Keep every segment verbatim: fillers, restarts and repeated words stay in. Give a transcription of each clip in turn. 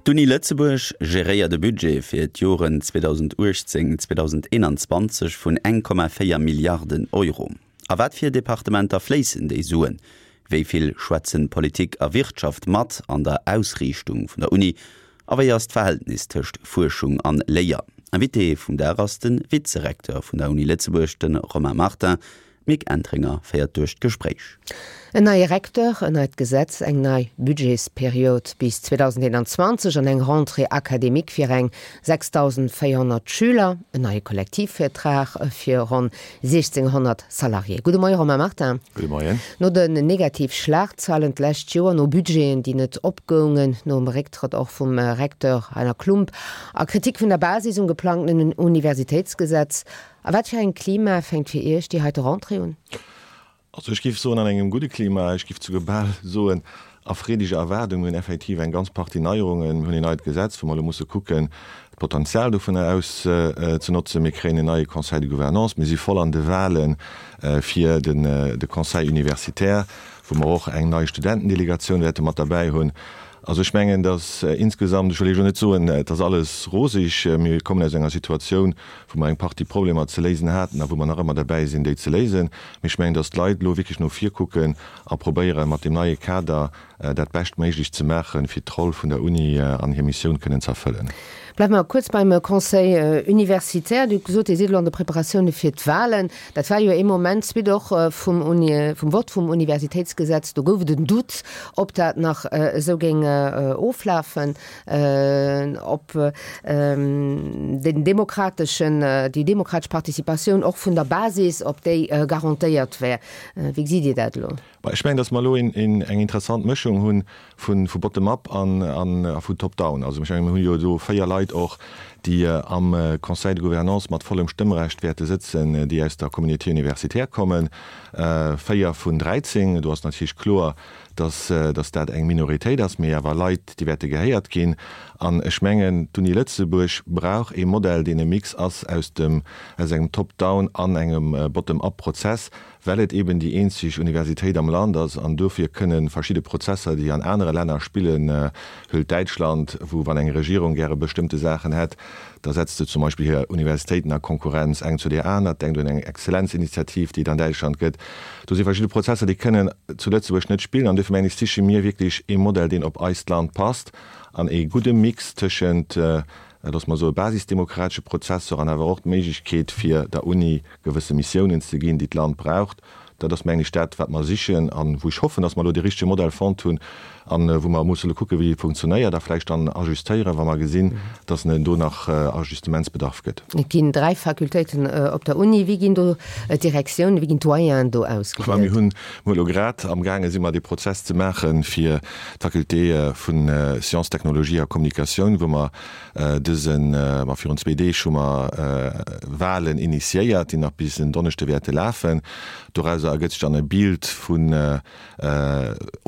D'Uni Lëtzebuerg geréiert e Budget fir d'Joren zweedausendachtzéng, zweedausendeenanzwanzeg vun eng Komma véier Milliarden Euro. A wat fir Departementer fléissen déi Suen? Wéi vill schwätzen Politik a Wirtschaft mat an der Ausriichtung vun der Uni? A wéi ass d'Verhältnis tëscht Fuerschung an Léier? Invité vum Dag ass de Vizerecteur vun der Uni Lëtzebuerg, de Romain Martin. D'Mick Entringer féiert duerch d'Gespréich. En neie Recteur, en neit Gesetz, eng nei Budgetsperiod bis zweedausendeenanzwanzeg an eng Rentrée académique fir eng sechsdausendvéierhonnert Schüler, en neie Kollektivvertrag fir ronn siechzénghonnert Salariéë. Gudde Moie Romain Martin. Gudde Moien. No den negativ Schlagzeilen d'lescht Joer, no Budgeten, déi net opgoungen, nom Récktrëtt och vum Recteur Heiner Klump a Kritik vun der Basis um geplangten Universitéitsgesetz, A wat fir engem Klima fänkt fir Iech déi heite Rentrée un? Also ech géif soen, an engem gudde Klima, ech géif souguer bal soen, a freedeger Erwaardung. Mir hunn effektiv eng ganz Partie Neierungen. Mir hunn een neit Gesetz, wou mer elo musse kucken, d'Potenzial dovunner auszenotzen. Mir kréien en neie Conseil de gouvernance. Mir si voll an de Wahle fir de Conseil universitaire, wou mer och eng nei Studentendelegatioun wäerte mat derbäi hunn. Also ech mengen, datt insgesamt, ech wëll Iech elo net soen, et ass alles roseg, mir kommen aus enger Situatioun, wou mer eng Partie Problemer ze léisen haten a wou mer nach ëmmer derbäi sinn, déi ze léisen. Mee ech mengen, datt d'Leit elo wierklech no vir kucken a probéieren, mat deem neie Kader dat Beschtméiglecht ze maachen, fir d'Roll vun der Uni an hir Missioun kënnen ze erfëllen. Bleiwe mer kuerz beim Conseil universitaire. Dir hutt gesot, Dir sidd elo an de Preparatioune fir d'Wahlen. Dat war jo ee Moment, suite och vum Uni, vum Vott vum Universitéitsgesetz, do gouf et en Doute, ob dat nach esou géing oflafen, ob den demokrateschen, déi demokratesch Participatioun och vun der Basis, ob déi garantéiert wär. Wéi gesitt Dir dat elo? Ech mengen, datt mer elo eng interessant Mëschung hu vu bottom-up a vu top-down. Also ech mengen, mir hu jo do véier Leit och, déi am Conseil de gouvernance mat vollem Stëmmrecht wäerte sëtzen, déi aus der Communauté universitaire kommen, véier vun dräizéng. Do ass natierlech kloer, datt dat eng Minoritéit ass, mee awer Leit, déi wäerte gehéiert ginn. An ech mengen, d'Uni Lëtzebuerg brauch ee Modell, deen e Mix ass aus dem, aus engem Top-down an engem Bottom-up-Prozess, well et eben déi eenzeg Universitéit am Land ass. An dofir kënne verschidde Prozesser, déi an anere Länner spillen, huelt Däitschland, wou wann eng Regierung gäre bestëmmte Saachen hätt, da setzt se zum Beispill hir Universitéiten a Konkurrenz eng zu där aner, denkt un eng Exzellenzinitiativ, déi et an Däitschland gëtt. Do si verschidde Prozesser, déi kënnen zu Lëtzebuerg net spillen. An dofir mengen ech, siche mir wierklech ee Modell, deen op eist Land passt an ee gudde Mix tëschent, loosse mer soen, basisdemokratesche Prozesser an awer och d'Méiglechkeet, fir der Uni gewësse Missiounen ze ginn, déi d'Land braucht. Dat ass, mengen ech, dat, wat mer sichen a wou ech hoffen, dass mer elo dee richtege Modell fonnt hunn a wou mer musse elo kucken, wéi e funktionéiert a vläicht dann ajustéieren, wa mer gesinn, dass en do nach Ajustementsbedarf gëtt. Et ginn dräi Fakultéiten op der Uni. Wéi ginn do d'Direktiounen, wéi ginn d'Doyenen do ausgewielt? Mir hunn elo grad amgaange si mer dee Prozess ze maache fir d'Faculté vu Sciences, Technologie a Communication, wou mer dësen, ma virun zwee Deeg hu mer Wahlen initiéiert, déi nach bis en Donneschde wäerte lafen. Dorauser ergëtt sech dann e Bild vun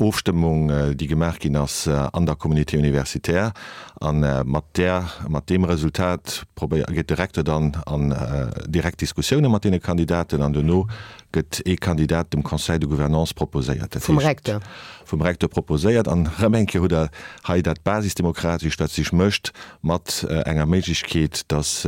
Ofstëmmung, déi gemaach ginn ass an der Communauté universitaire. A mat där, mat deem Resultat probéier, geet de Recteur dann an direkt Diskussioune mat deene Kandidaten an duerno gëtt ee Kandidat dem Conseil de gouvernance proposéiert. Dat Vum heescht, Recteur. vum Recteur proposéiert. An erëm eng Kéier hutt Der hei dat Basisdemokratescht, wat sech mécht mat enger Méiglechkeet, datt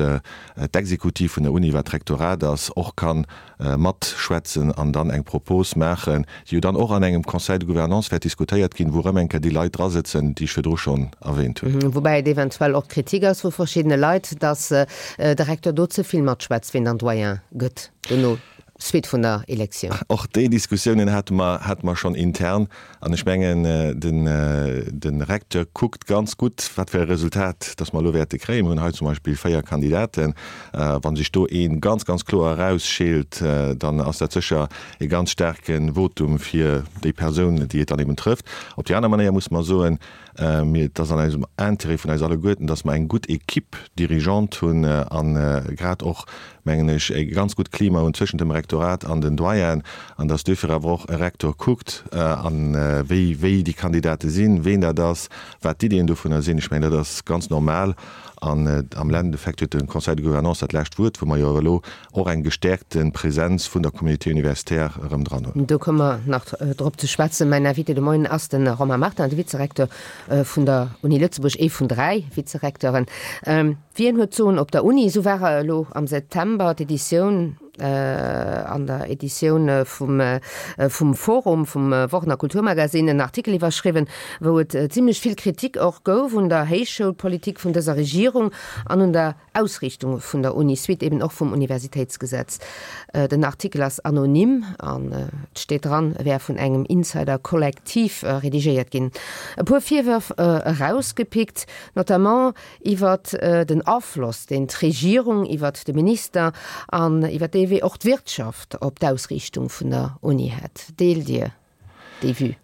d'Exekutiv vun der Uni, wat d'Rektorat ass, och ka matschwätzen an dann eng Propos maachen, déi jo dann och an engem Conseil de gouvernance wäert diskutéiert ginn, wou erëm eng Kéier déi Leit drasëtzen, déi ech virdru schonn erwähnt hunn. Woubäi et eventuell och Kritik ass vu verschiddene Leit, datt de Recteur do ze vill matschwätzt, wien dann Doyen gëtt dono, suite vun der Elektioun. Och déi Diskussiounen hate mer, hate mer schonn intern. An ech mengen, den, de Recteur kuckt ganz gutt, wat fir e Resultat dass mer elo wäerte kréien. Mir hunn hei zum Beispill véier Kandidaten. Wa sech do ee ganz, ganz kloer erausscheelt, dann ass dat sécher e ganz staarke Votum fir déi Persoun, déi et dann eben trëfft. Op déi aner Manéier muss mer soen, Mir, et ass an eisem Intérêt vun eis alleguerten, dass mer eng gutt Équipe dirigeante hunn a grad och, mengen ech, e ganz gutt Klima hunn zwëschent dem Rektorat, Rektorat an den Doyen, an dass duerfir awer och e Rektor kuckt, an wéi, wéi déi Kandidate sinn, ween dat ass, wat d'Iddien dovunner sinn. Ech mengen, dat ass ganz normal. An am Endeffekt huet de Conseil de Gouvernance dat lescht Wuert, wou mer jo elo och eng gestäerkte Präsenz vun der Communauté universitaire erëm dran hunn. Do komme mer nach drop ze schwätzen. Mäin Invité de Moien ass de Romain Martin, de Vizerekteur vun der Uni Lëtzebuerg, ee vun dräi Vizerekteuren. Wien huet d'Soen op der Uni? Esou war elo am September d'Editioun, an der Editioun vum vum Forum, vum Wochen a Kulturmagazine, en Artikel iwwerschriwwen, wou et zimlech vill Kritik och gouf un der Héichschoulpolitik vun dëser Regierung an un der Ausriichtung vun der Uni, suite eben och vum Universitéitsgesetz. Den Artikel ass anonym an et steet dran, e wär vun engem Insider-Kollektiv redigéiert ginn. E puer Virwërf erausgepickt, notamment iwwert den Afloss, deen d'Regierung iwwert de Minister an iwwert dee Wee och d'Wirtschaft op d'Ausriichtung vun der Uni hätt. Deelt Dir déi Vue?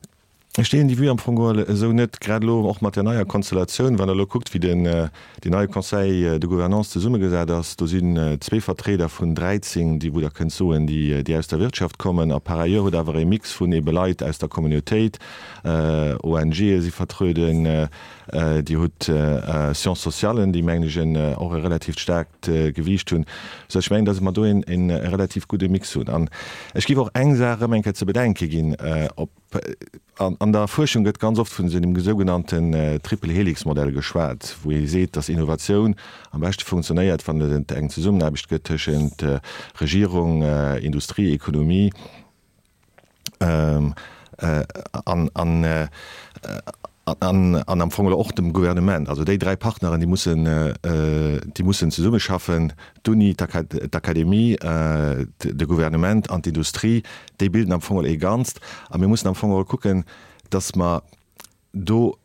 Ech deelen déi Vue am Fong geholl esou net, grad elo och mat där neier Konstellatioun. Wann Der elo kuckt, wéi den deen neie Conseil de Gouvernance zesummegesat ass, do sinn zwee Vertrieder vun dräizéng, déi, wou Der kënnt soen, déi, déi aus der Wirtschaft kommen. A par ailleurs hutt Der awer e Mix vun ebe Leit aus der Communautéit, ONGe si vertröden, Dir hutt Sciences sociales, déi, mengen ech, en och e relativt staarkt Gewiicht hunn, soudass ech mengen, dass mer do een relativ gudde Mix hunn. An ech géif och eng Saach erëm eng Kéier ze bedenke ginn, op, an der Fuerschung gëtt ganz oft vun esou engem sougenannten Triple-Helix-Modell geschwat, wou ee seet, dass Innovatioun am beschte funktionéiert, wann et eng Zesummenaarbecht gëtt tëschent Regierung, Industrie, Ekonomie, an an an am Fong och dem Gouvernement. Also déi dräi Partneren, déi mussen, déi mussen zesummeschaffen, d'Uni, d'Akademie, de Gouvernement an d'Industrie, déi bilden am Fong ee Ganzt. A mir mussen am Fong kucken, datt mer do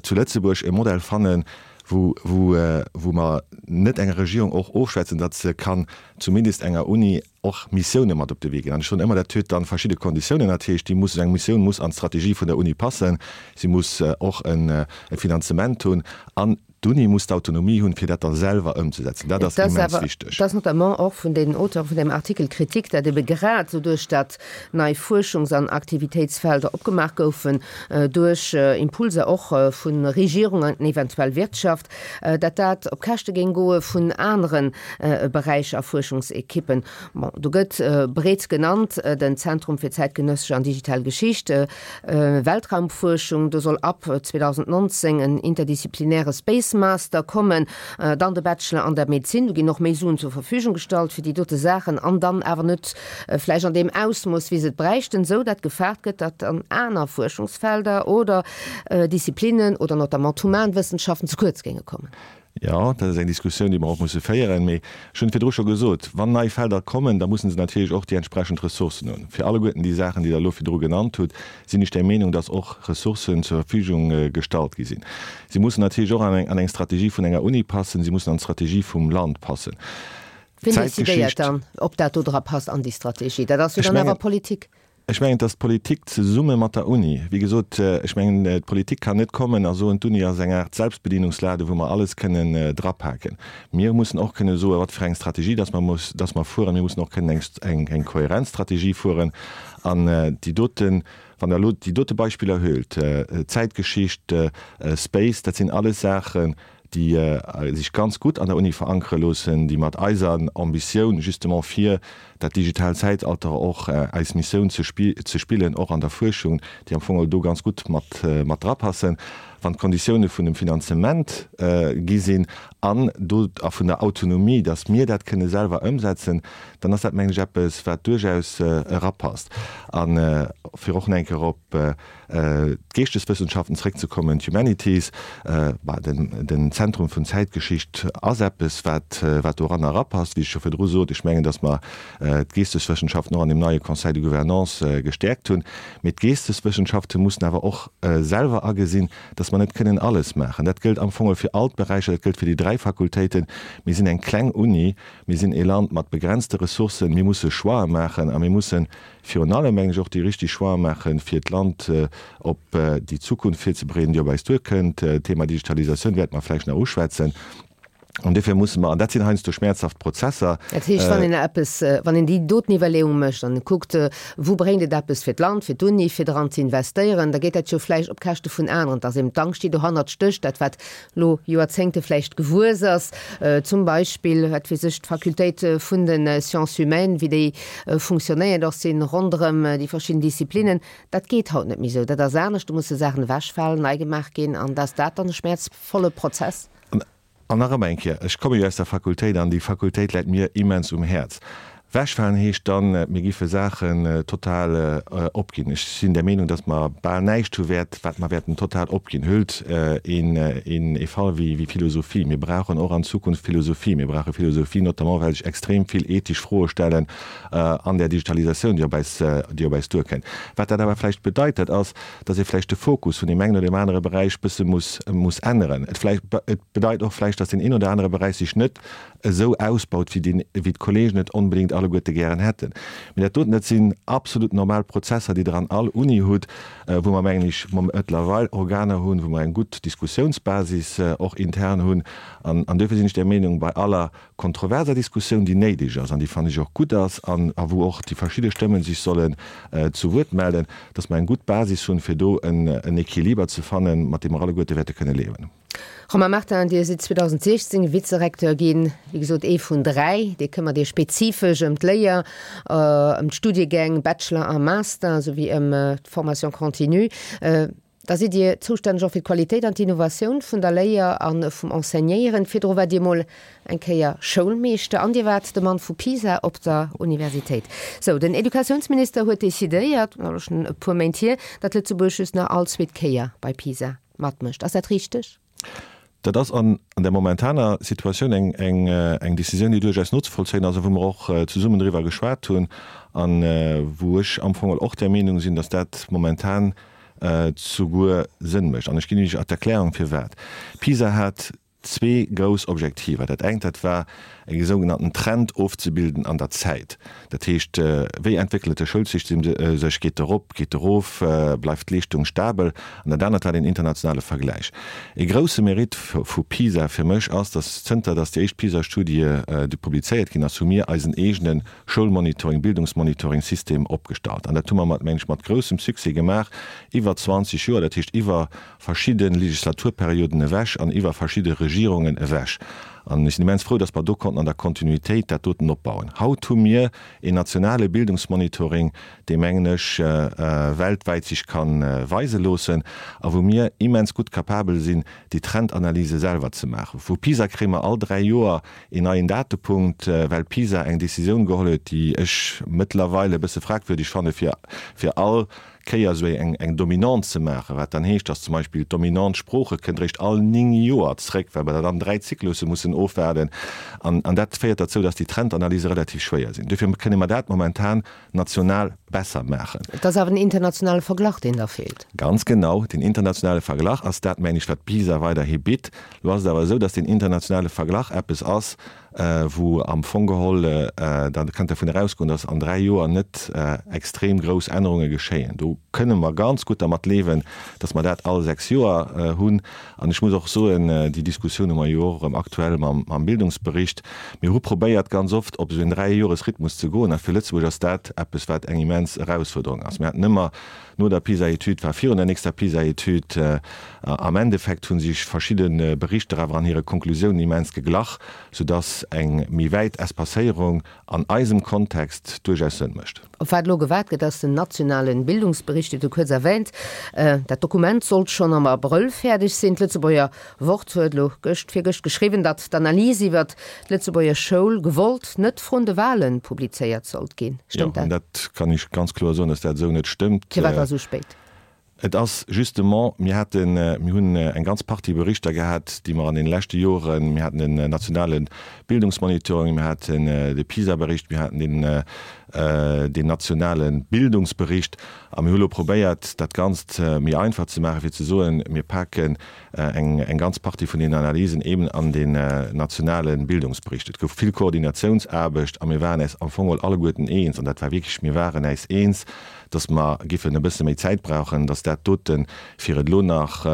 zu Lëtzebuerg e Modell fannen, wou, wou, wou mer net enger Regierung och ofschwätzen, datt se kann zumindest enger Uni och Missioune mat op de Wee ginn. An ech soen ëmmer, dat huet dann verschidde Konditiounen. Dat heescht, déi muss, eng Missioun muss an d'Strategie vun der Uni passen, si muss och e Finanzement hunn an d'Uni muss d'Autonomie hunn, fir dat da selwer ëmzesetzen. Dat ass immens wichteg. Et ass notamment och vun den Auteure vun deem Artikel d'Kritik, datt ebe grad esou duerch dat nei Fuerschungs an Aktivitéitsfelder opgemaach goufen, duerch Impulser och vu Regierung an eventuell Wirtschaft, datt dat op Käschte géing goe vun anere Beräicher a Fuerschungsekippen. Bon, do gëtt breet genannt den Zentrum fir zäitgenëssesch an digital Geschicht, Weltraumfuerschung, do soll ab zweedausendnonzéng en interdisziplinäre Space Master kommen, dann de Bachelor an der Medezin, do ginn och méi Suen zur Verfügung gestallt fir déi dote Saachen, an dann awer net vläicht an deem Ausmooss, wéi se et bräichten, esou datt gefaart gëtt, datt an aner Fuerschungsfelder oder Disziplinnen oder notamment d'Humanwëssenschaften ze kuerz géinge kommen. Jo, dat ass eng Diskussioun, déi mer och musse féieren. Mee ech hunn et virdru scho gesot, Wann nei Felder kommen, da musse se natierlech och déi entsprechend Ressourcen hunn. Fir alleguerten déi Saachen, déi Der elo virdru genannt hutt, sinn ech der Meenung, dass och Ressourcen zur Verfügung gestallt gi sinn. Si mussen natierlech och an eng Strategie vun enger Uni passen, si mussen an d'Strategie vum Land passen. Wien decidéiert dann, ob dat do dra passt an déi Strategie? Dat ass jo dann awer Politik. Ech mengen, et ass d'Politik zesumme mat der Uni. Wéi gesot, ech mengen, d'Politik kann net kommen a soen, d'Uni ass eng Aart Selbstbedienungslade wou mer alles kënnen drapaken. Mir mussen och kënne soen, wat fir eng Strategie dass mer muss, dass mer fueren. Mir mussen och kënnen eng, eng kohärent Strategie fueren. An déi doten, wann Der elo déi dote Beispiller huelt, Zäitgeschicht, Space, dat sinn alles Saachen, déi sech ganz gutt an der Uni verankere loossen, déi mat eiser Ambitioun justement fir dat digitaalt Zäitalter och eis Missioun ze spillen, och an der Fuerschung, déi am Fong do ganz gutt mat mat drapassen, wann d'Konditioune vun dem Finanzement gi sinn an do a vun der Autonomie, datt mir dat kënne selwer ëmsetzen, dann ass dat, mengen ech, eppes, wat duerchaus erapasst. A fir och nach eng Kéier op d'Geeschteswëssenschaften zréckzekommen, d'Humanities, bah, den, den Zentrum vun Zäitgeschicht ass eppes, wat, wat doranner erapasst. Wéi ech scho virdru sot, ech mengen, datt mer d'Geesteswëssenschaften och an deem neie Conseil de Gouvernance gestäerkt hunn. Mee d'Geesteswëssenschafte mussen awer och selwer agesinn, datt mer net kënnen alles maachen. Dat gëllt am Fong fir all d'Beräicher, dat gëllt fir déi dräi Fakultéiten. Mir sinn eng kleng Uni, mir sinn ee Land mat begrenzte Ressourcen, mir musse Choixë maachen a mir mussen virun allem, mengen ech, och déi richtig Choixë maachen, fir d'Land op déi Zukunft virzebereeden, déi op eis duerkënnt. D'Thema Digitalisatioun wäerte mer vläicht nach uschwätzen. An duerfir musse mer, an dat sinn heiansdo schmäerzhaft Prozesser. Dat heescht, wann een eppes, wann een déi doten Iwwerleeung mécht an kuckt, wou bréngt et eppes fir d'Land, fir d'Uni, fir dran ze investéieren, da geet dat jo vläicht op Käschte vun aneren. Et ass eben d'Angscht, déi dohannert stécht, dat wat elo Joerzéngte vläicht gewuess ass, zum Beispill, wat weess ech, d'Fakultéit vun de Sciences humaines, wéi déi funktionéiert och sinn ronderëm déi verschidden Disziplinen. Dat geet haut net méi esou. Dat ass anescht, do musse Saachen ewechfalen, nei gemaach ginn an dass dat dann e schmäerzvolle Prozess. An nach ëmmer eng Kéier, ech komme jo aus der Fakultéit an déi Fakultéit läit mir immens um Häerz. Wechfalen heescht dann, mir giffe Saachen total opginn. Ech sinn der Meenung, datt mer bal näischt hu wäert, wat mer wäerten total opginn. Hëlt een ee Fall wéi Philosophie. Mir brauchen och an Zukunft Philosophie. Mir brauche Philosophie notamment, well sech extrem vill ethesch Froe stellen an där Digitalisatioun, déi op eis, déi op eis duerkënnt. Wat dat awer vläicht bedeit, dat ass, datt ee vläicht de Fokus vun deem engen oder deem anere Beräich bësse muss, muss änneren. Et vläicht, et bedeit och vläicht, datt deen een oder anere Beräich sech net esou ausbaut, wéi deen, wéi d'Kollegen et onbedéngt alleguerte gären hätten. Mee dat doten, dat sinn absolut normal Prozesser, déi Der an all Uni hutt, wou mer, mengen ech, mëttlerweil Organer hunn, wou mer eng gutt Diskussiounsbasis och intern hunn. An, an duerfir sinn ech der Meenung, bei aller kontroverser Diskussioun, déi néideg ass an déi, fannen ech, och gutt ass an a wou och déi verschidde Stëmmen sech sollen zu Wuert mellen, dass mer eng gutt Basis hunn, fir do en Equiliber ze fannen, mat deem mer alleguerte wäerte kënne liewen. Romain Martin, Dir sidd zweedausendsiechzéng Vizerecteur ginn, wéi gesot ee vun dräi. Dir këmmert Iech spezifesch ëm d'Léier, ëm d'Studiegäng Bachelor a Master souwéi ëm d'Formation continue. Da sidd Dir zoustänneg och fir d'Qualitéit an d'Innovatioun vun der Léier a vum Enseignéieren. Virdru waart Dir mol eng Kéier Schoulmeeschter an Dir waart de Mann vu PISA op der Universitéit. Sou, den Educatiounsminister huet decidéiert, dat ass schonn e puer Méint hier, datt Lëtzebuerg just nach all zweet Kéier bei PISA matmécht. Ass dat richteg? Dat ass an der momentaner Situatioun eng, eng, eng Décisioun, déi duerchaus nozevollzéien ass a wou mer och zesummen driwwer geschwat hunn a wou ech am Fong och der Meenung sinn, datt dat momentan souguer Sënn mécht. An ech ginn Iech d'Erklärung firwat. PISA hat zwee grouss Objektiver. Dat engt, dat war e sougenannten Trend ofzebilden an der Zäit. Dat heescht, wéi entwéckelt de Schoulsystem sech, geet e rop, geet e rof, bleift d'Leeschtung stabel? An dat anert war den internationale Vergläich. E grousse Mérite vu PISA fir mech ass, datt zënter datt déi éischt PISA-Studie publizéiert ginn ass, hu mir eisen eegene Schoulmonitoring, Bildungsmonitoring-System opgestallt. An dat hu mer mat, mengen ech, mat groussem Succès gemaach iwwer zwanzeg Joer, dat heescht iwwer verschidde Legislaturperioden ewech an iwwer verschidde Regierungen ewech. An ech sinn immens frou, dass mer do konnten an der Kontinuitéit dat doten opbauen. Haut hu mir een nationale Bildungsmonitoring, dee, mengen ech, weltwäit sech ka weise loossen a wou mir immens gutt capabel sinn, déi Trendanalyse selwer ze maachen. Vu PISA kréie mer all dräi Joer een neien Datepunkt, well PISA eng Décisioun geholl huet, déi ech mëttlerweil e bësse fragwürdeg fanne fir fir all Kéier esou eng eng Dominante ze maachen, wat dann heescht, dass zum Beispill d'Dominante Sprooche kënnt eréischt all néng Joer zréck, well mer dann dräi Zyklusse mussen ofwaarden. An an dat féiert derzou, dass déi Trendanalyse relativ schwéier sinn. Dofir kënne mer dat momentan national besser maachen. Et ass awer den internationale Verglach, deen da feelt. Ganz genau, den internationale Verglach ass dat, mengen ech, wat PISA weiderhi bitt. Elo ass et awer esou, dass den internationale Verglach eppes ass, wou am Fong geholl, da kënnt dervun erausgoen, dass an dräi Joer net extrem grouss Ännerunge geschéien. Do kënne mer ganz gutt dermat liewen, dass mer dat all sechs Joer hunn. An ech muss och soen, déi Diskussioun hu mer jo och erëm aktuell mam Bildungsbericht, mir hu probéiert ganz oft op esou en Dräijoresrhythmus ze goen a fir Lëtzebuerg ass dat eppes, wat eng immens Erausfuerderung ass. Mir haten ëmmer no der PISA-Etüd, war virun der nächster PISA-Etüd, am Endeffekt hu sech verschidde Berichter awer an hire Konklusiounen immens geglach, soudass eng méi wäit Espacéierung an eisem Kontext duerchaus Sënn mécht. Op wat elo gewaart gëtt, ass den nationale Bildungsbericht, Dir hutt e kuerz erwähnt. Dat Dokument sollt schonn am Abrëll fäerdeg sinn. D'Lëtzebuerger Wort huet elo gëscht, virgëscht geschriwwen, datt d'Analys iwwert d'Lëtzebuerger Schoul gewollt net vrun de Wahlen publizéiert sollt ginn. Stëmmt dat? Jo, an dat kann ech ganz kloer soen, datt dat esou net stëmmt. Firwat da sou spéit? Et ass justement, mir haten, mir hunn eng ganz Partie Berichter gehat, déi mer an deene leschte Joren, mir haten den nationale Bildungsmonitoring, mir haten de PISA-Bericht, mir haten deen, deen nationale Bildungsbericht a mir hu lo probéiert, dat Ganzt méi einfach ze maachen, fir ze soen, mir paken eng, eng ganz Partie vun deenen Analysen eben an deen nationale Bildungsbericht. Et gouf vill Koordinatiounsaarbecht a mir waren äis am Fong geholl alleguerten eens, an dat war wierklech, mir waren äis eens, dass mer giffen e bësse méi Zäit brauchen, dass dat doten, fir et elo nach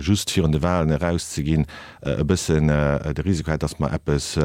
just virun de Wahlen erauszeginn, e bëssen de Risiko hätt, dass mer eppes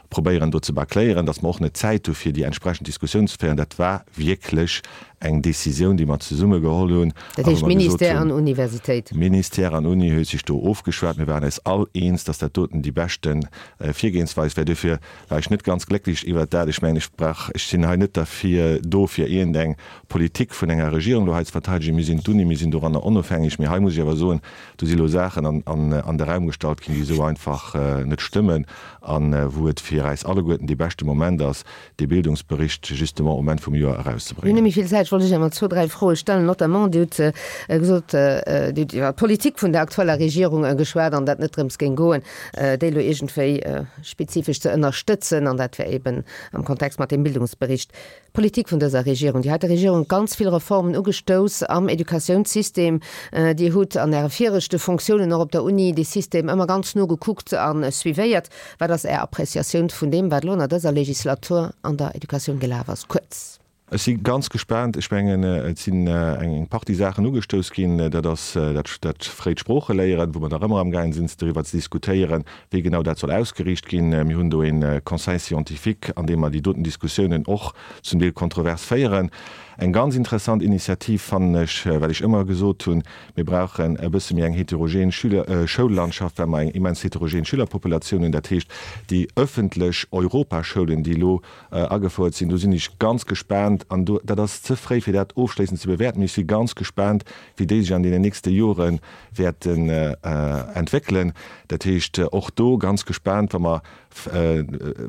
probéieren do ze bâcléieren, dass mer och net d'Zäit hu fir déi entsprechend Diskussioun ze féieren. Dat war wierklech eng Décisioun, déi mer zesumme geholl hunn Dat heescht Ministère an Universitéit? Ministère an Uni huet sech do ofgeschwat. Mir waren eis all eens, dass dat doten déi beschte Virgehensweis wär. Duerfir war ech net ganz glécklech iwwert dat. Ech mengen, ech brauch, ech sinn hei net derfir do, fir iergendeng Politik vun enger Regierung elo hei ze verteidegen. Mir sinn d'Uni, mir sinn doranner onofhängeg. Mee hei muss ech awer soen, do si elo Saachen an de Raum gestallt ginn, déi esou einfach net stëmmen a wou et fir eis alleguerten dee beschte Moment ass, dee Bildungsbericht justement um Enn vum Joer erauszebréngen. Mir hunn net méi vill Zäit. Ech wollt lech awer zwou, dräi Froe stellen. Notamment, Dir hutt gesot, Dir hutt iwwer d'Politik vun der aktueller Regierung geschwat an dat net drëms géing goen, déi elo iergendwéi spezifesch ze ënnerstëtzen, an dat wär eben am Kontext mat deem Bildungsbericht. D'Politik vun dëser Regierung, déi heite Regierung huet ganz vill Reformen ugestouss am Educatiounssystem. Dir hutt an Äre viregte Fonctiounen och op der Uni dee System ëmmer ganz no gekuckt a suivéiert. Wat ass Är Appréciatioun vun deem, wat elo ënner dëser Legislatur an der Educatioun gelaf ass? Kuerz. Ech si ganz gespaant. Ech mengen, et sinn eng Partie Saachen ugestouss ginn. Dat ass dat fréit Sproocheléieren, wou mer nach ëmmer amgaangen sinn, doriwwer ze diskutéieren, wéi genau dat soll ausgeriicht ginn. Mir hunn do ee Conseil scientifique, an deem mer déi doten Diskussiounen och zum Deel kontrovers féieren. Eng ganz interessant Initiativ fannen ech, well ech ëmmer gesot hunn, mir brauchen e bësse méi eng heterogen Schüler Schoullandschaft, well mer eng immens heterogen Schülerpopulatioun hunn. Dat heescht, déi öffentlech Europaschoulen, déi elo agefouert sinn, do sinn ech ganz gespaant, an do, dat ass ze fréi, fir dat ofschléissend ze bewäerten, mee ech si ganz gespaant, wéi déi sech an deenen nächste Jore wäerten entwéckelen. Dat heescht, och do ganz gespaant, wa mer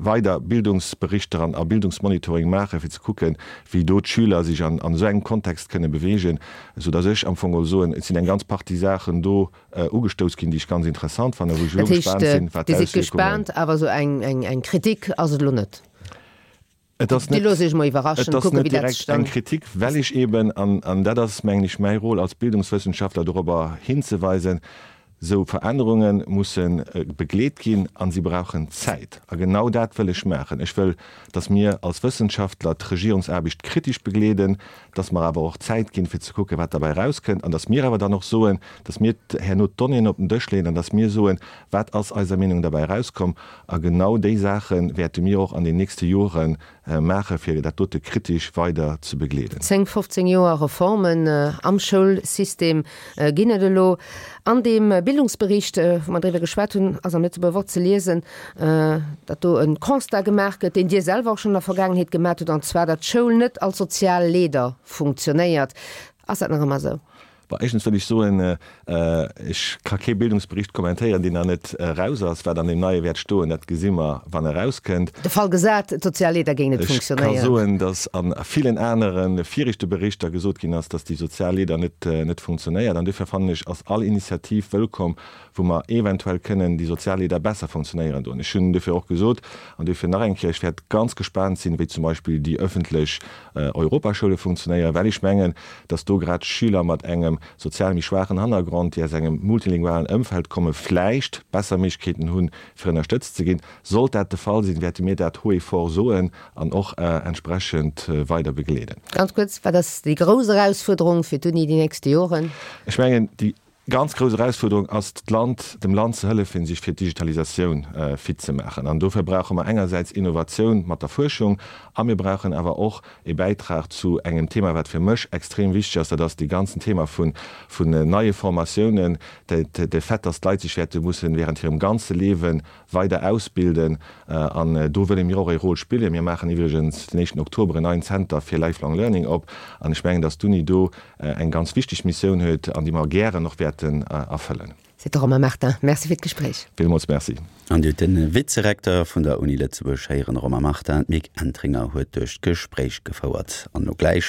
weider Bildungsberichter an a Bildungsmonitoring maachen, fir ze kucken, wéi do d'Schüler sech an esou engem Kontext kënne beweegen, soudass ech am Fong geholl soen, et sinn eng ganz Partie Saachen do ugestouss ginn, déi ech ganz interessant fannen, wou ech elo gespaant sinn, wat d'Auswierkungen. Dat heescht, Dir sidd gespaant, awer esou eng Kritik ass et elo net? Et ass net, et ass net direkt eng Kritik, well ech eben, an dat ass, mengen ech, mäi Rôle als Bildungswëssenschaftler, dorobber hinzeweisen, Esou Verännerunge musse begleet ginn a si brauchen Zäit. A genau dat wëll ech maachen. Ech wëll, datt mir als Wëssenschaftler d'Regierungsaarbecht kritesch begleeden, datt mer awer och Zäit ginn, fir ze kucken, wat derbäi erauskënnt, an datt mir awer dann och soen, datt mir herno d'Donnéeën op den Dësch leeën an datt mir soen, wat ass eiser Meenung derbäi erauskomm. A genau déi Saache wäerte mir och an den nächste Jore maache fir dat dote kritesch weider ze begleeden. Zéng, fofzéng Joer Reformen am Schoulsystem ginn et elo. An deem Bildungsbericht, wou mer driwwer geschwat hunn, ass am Lëtzebuerger Wort ze liesen, datt do e Constat gemaach gëtt, deen Dir selwer och schonn an der Vergaangenheet gemaat hutt, an zwar, datt d'Schoul net als sozial Leeder funktionéiert. Ass dat nach ëmmer esou? Bon, éischtens wëll ech soen, ech ka kee Bildungsbericht kommentéieren, deen nach net eraus ass. Wat an deem neie wäert stoen, dat gesi mer, wann e erauskënnt. De Fall gesat, d'sozial Leeder géing net Ech ka funktionéieren. soen, datt a villen anere viregte Berichter gesot ginn ass, datt déi sozial Leeder net, net funktionéiert. An duerfir fannen ech, ass all Initiativ wëllkomm, wou mer eventuell kënnen déi sozial Leeder besser funktionéieren doen. Ech hunn duerfir och gesot, an duerfir nach eng Kéier, ech wäert ganz gespaant sinn, wéi zum Beispill déi öffentlech Europaschoule funktionéieren, well ech mengen, dass do grad Schüler mat engem sozial méi schwaachen Hannergrond, déi aus engem multilingualen Ëmfeld kommen, vläicht besser Méiglechkeeten hunn, fir ënnerstëtzt ze ginn. Sollt dat de Fall sinn, wäerte mir dat haut et fort soen an och entsprechend weider begleeden. Ganz kuerz, Wat ass déi grouss Erausfuerderung fir d'Uni déi nächste Joren? Ech mengen, déi ganz grouss Erausfuerderung ass, d'Land, dem Land ze hëllefen, sech fir d'Digitalisatioun fit ze maachen. An dofir brauche mer engersäits Innovatioun mat der Fuerschung a mir brauchen awer och e Bäitrag zu engem Thema, wat fir mech extrem wichteg ass, dat ass dee ganzen Thema vun neie Formatiounen, de Fait, dass d'Leit sech wäerte mussen während hirem ganze Liewe weider ausbilden. An do wëlle mir och e Rôle spillen. Mir maachen iwwregens den éischten Oktober en neien Zenter fir Lifelong Learning op. An ech mengen, dass d'Uni do eng ganz wichteg Missioun huet an déi mer gären och wäerten erfëllen. Seet de Romain Martin. Merci fir d'Gespréich. Villmools Merci. An Dir hutt de Vizerekteur vun der Uni Lëtzebuerg héieren, Romain Martin. D'Mick Entringer huet duerch d'Gespréich gefouert. An elo gläich